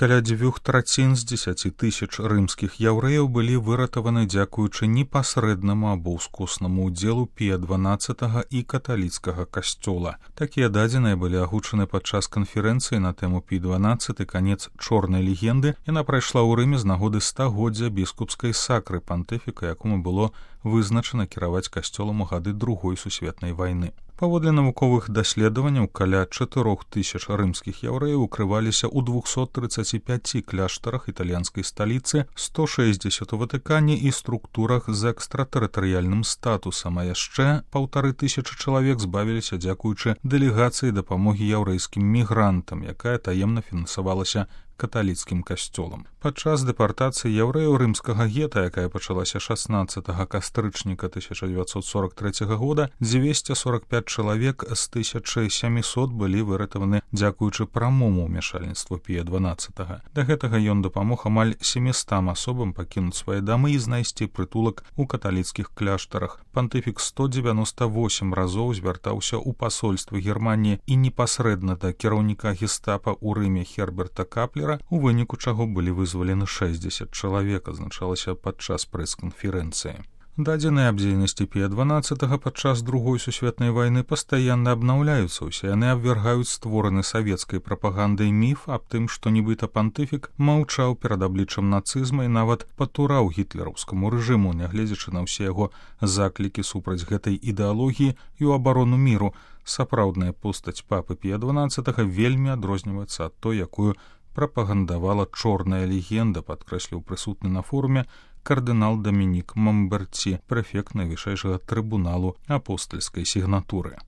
Каля 2/3 з 10 тысяч рымскіх яўрэяў былі выратаваны дзякуючы непасрэднаму або ўскоснаму ўдзелу Пія XII і каталіцкага касцёла. Такія дадзеныя былі агучаны падчас канферэнцыі на тэму Пій XII «Канец чорнай легенды». Яна прайшла ў Рыме з нагоды 100-годдзя біскупскай сакры пантыфіка, якому было вызначана кіраваць касцёлам у гады Другой сусветнай вайны. Паводле навуковых даследаванняў, каля 4000 рымскіх яўрэяў укрываліся ў 235 кляштарах італьянскай сталіцы, 160 у Ватыкане і структурах з экстратэрытарыяльным статусам, а яшчэ 1500 чалавек збавіліся дзякуючы дэлегацыі дапамогі яўрэйскім мігрантам, якая таемна фінансавалася каталіцкім касцёлам. Падчас дэпартацыі яўрэяў рымскага гета, якая пачалася 16 кастрычніка 1943 года, 245 чалавек з 1700 былі выратаваны дзякуючы прамому ўмяшальніцтву Пія XII. Да гэтага ён дапамог амаль 700 асобам пакінуць свае дамы і знайсці прытулак у каталіцкіх кляштарах. Пантыфік 198 разоў звяртаўся ў пасольства Германіі і непасрэдна да кіраўніка гестапа ў Рыме Херберта Каплера, у выніку чаго былі вызвалены 60 чалавек, азначалася падчас прэс-канферэнцыі. Дадзеныя аб дзейнасці Пія XII падчас Другой сусветнай вайны пастаянна абнаўляюцца. Усе яны абвяргаюць створаны савецкай прапагандай міф аб тым, што нібыта пантыфік маўчаў перад абліччам нацызма і нават патураў гітлераўскаму рэжыму, нягледзячы на ўсе яго заклікі супраць гэтай ідэалогіі і ў абарону міру. Сапраўдная постаць папы Пія XII вельмі адрозніваецца ад той, якую прапагандавала чорная легенда, падкрэсліў прысутны на форуме кардынал Дамінік Мамберці, прэфект найвышэйшага трыбуналу апостальскай сігнатуры.